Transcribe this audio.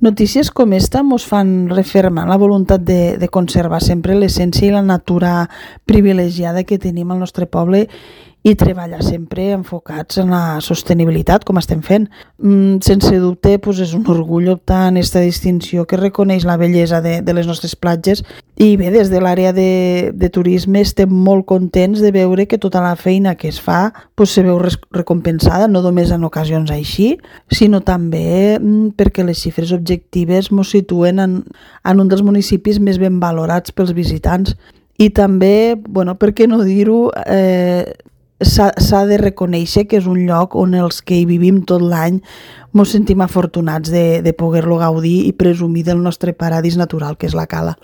Notícies com esta ens fan refermar la voluntat de conservar sempre l'essència i la natura privilegiada que tenim al nostre poble i treballar sempre enfocats en la sostenibilitat, com estem fent. Sense dubte, és un orgull optar en aquesta distinció que reconeix la bellesa de les nostres platges i bé, des de l'àrea de turisme estem molt contents de veure que tota la feina que es fa se veu recompensada, no només en ocasions així, sinó també perquè les xifres objectives ens situen en un dels municipis més ben valorats pels visitants. I també, per què no dir-ho, s'ha de reconèixer que és un lloc on els que hi vivim tot l'any ens sentim afortunats de poder-lo gaudir i presumir del nostre paradís natural, que és la Cala.